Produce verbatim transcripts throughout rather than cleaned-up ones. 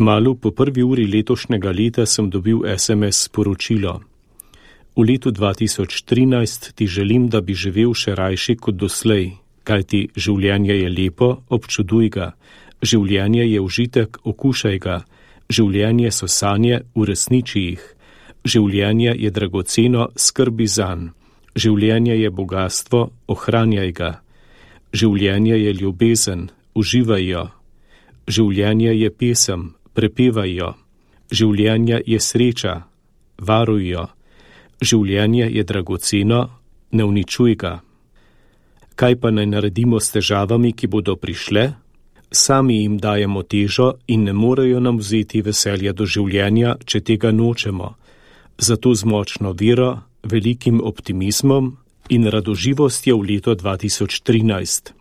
Kmalu po prvi uri letošnjega leta sem dobil es em es sporočilo. V letu dva tisoč trinajst ti želim, da bi živel še rajši kot doslej, kajti življenje je lepo, občuduj ga, življenje je užitek, okušaj ga, življenje so sanje, uresniči jih, življenje je dragoceno, skrbi zanj, življenje je bogastvo, ohranjaj ga, življenje je ljubezen, uživaj jo, življenje je pesem, prepevaj jo, življenje je sreča, varuj jo, življenje je dragoceno, ne uničuj ga. Kaj pa naj naredimo s težavami, ki bodo prišle? Sami jim dajemo težo in ne morejo nam vzeti veselja do življenja, če tega nočemo. Zato z močno vero, velikim optimizmom in radoživostjo v leto dva tisoč trinajst.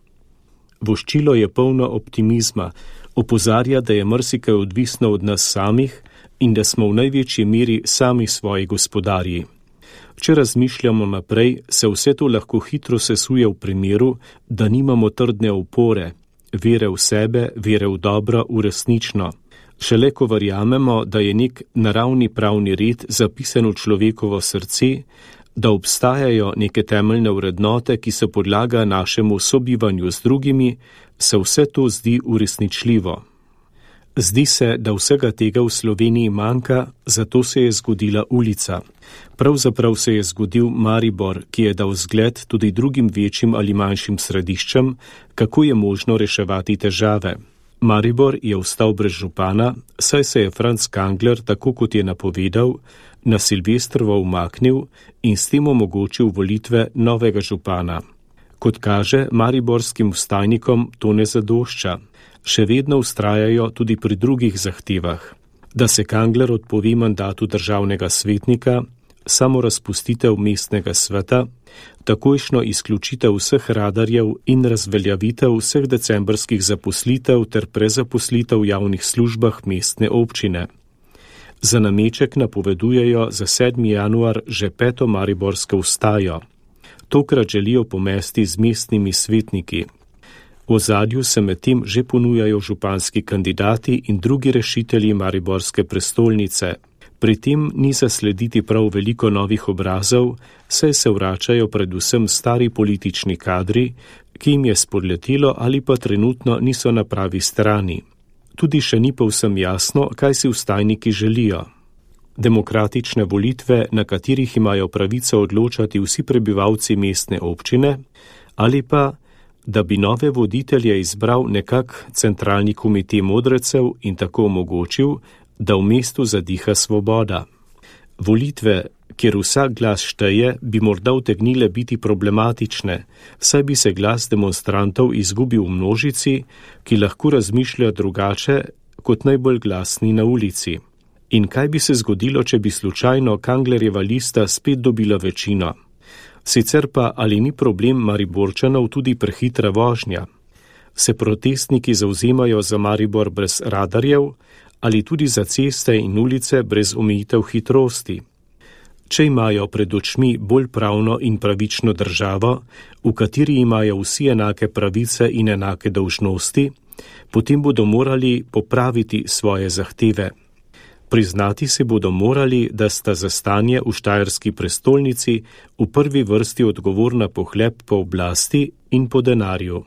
Voščilo je polno optimizma, opozarja, da je marsikaj odvisno od nas samih in da smo v največji meri sami svoji gospodarji. Če razmišljamo naprej, se vse to lahko hitro sesuje v primeru, da nimamo trdne opore, vere v sebe, vere v dobro, v resnično. Šele ko verjamemo, da je nek naravni pravni red zapisan v človekovo srce, da obstajajo neke temeljne vrednote, ki so podlaga našemu sobivanju z drugimi, se vse to zdi uresničljivo. Zdi se, da vsega tega v Sloveniji manjka, zato se je zgodila ulica. Pravzaprav se je zgodil Maribor, ki je dal zgled tudi drugim večjim ali manjšim središčem, kako je možno reševati težave. Maribor je ostal brez župana, saj se je Franc Kangler, tako kot je napovedal, na Silvestrovo umaknil in s tem omogočil volitve novega župana. Kot kaže, mariborskim vstajnikom to ne zadošča. Še vedno vztrajajo tudi pri drugih zahtevah, da se Kangler odpove mandatu državnega svetnika, samo razpustitev mestnega sveta, takojšno izključitev vseh radarjev in razveljavitev vseh decembrskih zaposlitev ter prezaposlitev v javnih službah mestne občine. Za nameček napovedujejo za sedmi januar že peto mariborsko vstajo. Tokrat želijo pomesti z mestnimi svetniki. V ozadju se medtem že ponujajo županski kandidati in drugi rešitelji mariborske prestolnice. Pri tem ni zaslediti prav veliko novih obrazov, saj se vračajo predvsem stari politični kadri, ki jim je spodletelo ali pa trenutno niso na pravi strani. Tudi še ni povsem jasno, kaj si vstajniki želijo. Demokratične volitve, na katerih imajo pravico odločati vsi prebivalci mestne občine, ali pa da bi nove voditelje izbral nekak centralni komitej modrecev in tako omogočil, da v mestu zadiha svoboda. Volitve, kjer vsak glas šteje, bi morda utegnile biti problematične, saj bi se glas demonstrantov izgubil v množici, ki lahko razmišlja drugače kot najbolj glasni na ulici. In kaj bi se zgodilo, če bi slučajno Kanglerjeva lista spet dobila večino? Sicer pa ali ni problem Mariborčanov tudi prehitra vožnja? Se protestniki zauzemajo za Maribor brez radarjev ali tudi za ceste in ulice brez omejitev hitrosti? Če imajo pred očmi bolj pravno in pravično državo, v kateri imajo vsi enake pravice in enake dolžnosti, potem bodo morali popraviti svoje zahteve. Priznati se bodo morali, da sta za stanje v štajerski prestolnici v prvi vrsti odgovorna pohlep po oblasti in po denarju.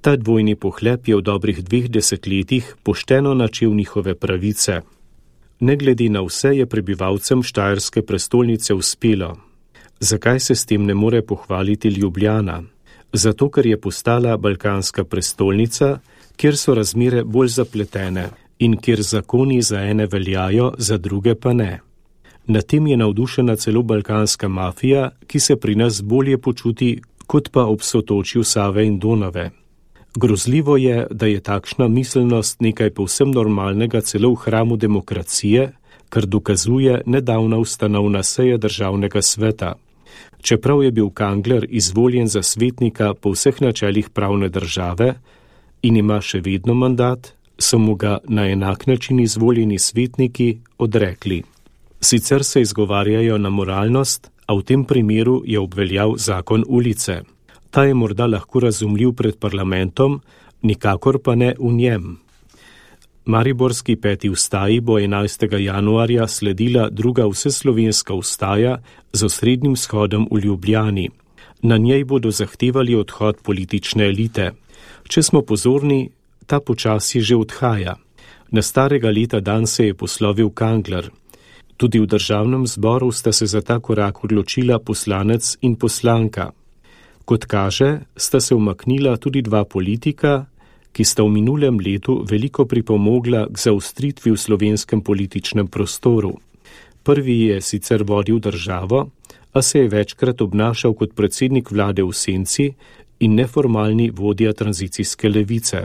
Ta dvojni pohlep je v dobrih dveh desetletjih pošteno načel njihove pravice. Ne glede na vse je prebivalcem štajerske prestolnice uspelo. Zakaj se s tem ne more pohvaliti Ljubljana? Zato, ker je postala balkanska prestolnica, kjer so razmere bolj zapletene in kjer zakoni za ene veljajo, za druge pa ne. Na tem je navdušena celo balkanska mafija, ki se pri nas bolje počuti, kot pa ob sotočju Save in Donave. Grozljivo je, da je takšna miselnost nekaj povsem normalnega celo v hramu demokracije, kar dokazuje nedavna ustanovna seja državnega sveta. Čeprav je bil Kangler izvoljen za svetnika po vseh načelih pravne države in ima še vedno mandat, so mu ga na enak način izvoljeni svetniki odrekli. Sicer se izgovarjajo na moralnost, a v tem primeru je obveljal zakon ulice. Ta je morda lahko razumljiv pred parlamentom, nikakor pa ne v njem. Mariborski peti vstaji bo enajstega januarja sledila druga vseslovenska vstaja z osrednjim shodom v Ljubljani. Na njej bodo zahtevali odhod politične elite. Če smo pozorni, ta počasi že odhaja. Na starega leta dan se je poslovil Kangler. Tudi v državnem zboru sta se za ta korak odločila poslanec in poslanka. Kot kaže, sta se umaknila tudi dva politika, ki sta v minulem letu veliko pripomogla k zaostritvi v slovenskem političnem prostoru. Prvi je sicer vodil državo, a se je večkrat obnašal kot predsednik vlade v senci in neformalni vodja tranzicijske levice.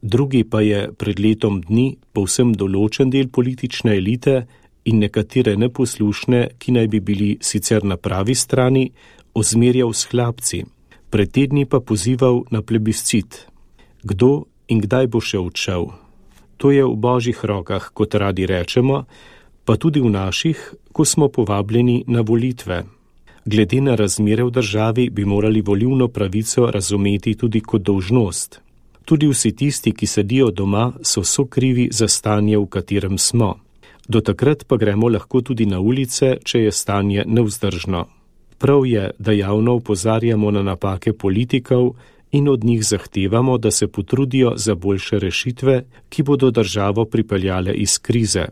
Drugi pa je pred letom dni povsem določen del politične elite in nekatere neposlušne, ki naj bi bili sicer na pravi strani, ozmerjal s hlapci. Pred tedni pa pozival na plebiscit. Kdo in kdaj bo še odšel? To je v božjih rokah, kot radi rečemo, pa tudi v naših, ko smo povabljeni na volitve. Glede na razmere v državi bi morali volilno pravico razumeti tudi kot dolžnost. Tudi vsi tisti, ki sedijo doma, so sokrivi za stanje, v katerem smo. Do takrat pa gremo lahko tudi na ulice, če je stanje nevzdržno. Prav je, da javno opozarjamo na napake politikov in od njih zahtevamo, da se potrudijo za boljše rešitve, ki bodo državo pripeljale iz krize.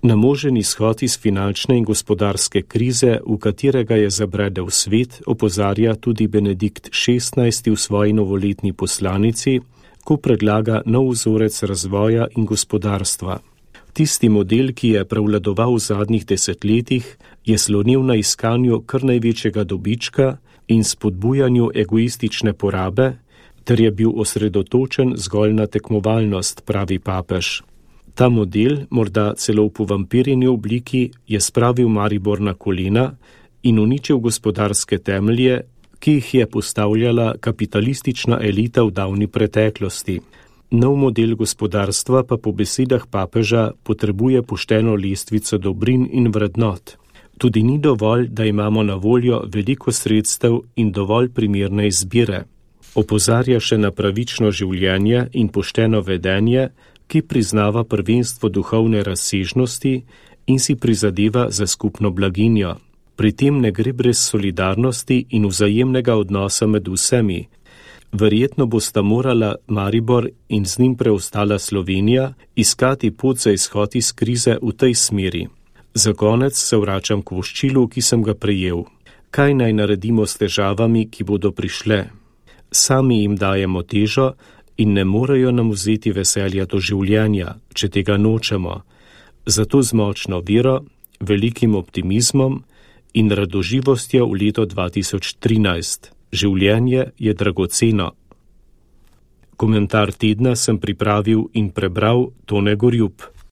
Na možen izhod iz finančne in gospodarske krize, v katerega je zabredel svet, opozarja tudi Benedikt šestnajsti v svoji novoletni poslanici, ko predlaga nov vzorec razvoja in gospodarstva. Tisti model, ki je prevladoval v zadnjih desetletjih, je slonil na iskanju kar največjega dobička in spodbujanju egoistične porabe, ter je bil osredotočen zgolj na tekmovalnost, pravi papež. Ta model, morda celo v povampirjeni obliki, je spravil Maribor na kolena in uničil gospodarske temelje, ki jih je postavljala kapitalistična elita v davni preteklosti. Nov model gospodarstva pa po besedah papeža potrebuje pošteno lestvico dobrin in vrednot. Tudi ni dovolj, da imamo na voljo veliko sredstev in dovolj primerne izbire. Opozarja še na pravično življenje in pošteno vedenje, ki priznava prvenstvo duhovne razsežnosti in si prizadeva za skupno blaginjo. Pri tem ne gre brez solidarnosti in vzajemnega odnosa med vsemi. Verjetno bosta morala Maribor in z njim preostala Slovenija iskati pot za izhod iz krize v tej smeri. Za konec se vračam k voščilu, ki sem ga prejel. Kaj naj naredimo s težavami, ki bodo prišle? Sami jim dajemo težo in ne morejo nam vzeti veselja do življenja, če tega nočemo. Zato z močno vero, velikim optimizmom in radoživostjo v leto dva tisoč trinajst. Življenje je dragoceno. Komentar tedna sem pripravil in prebral Tone Gorjup.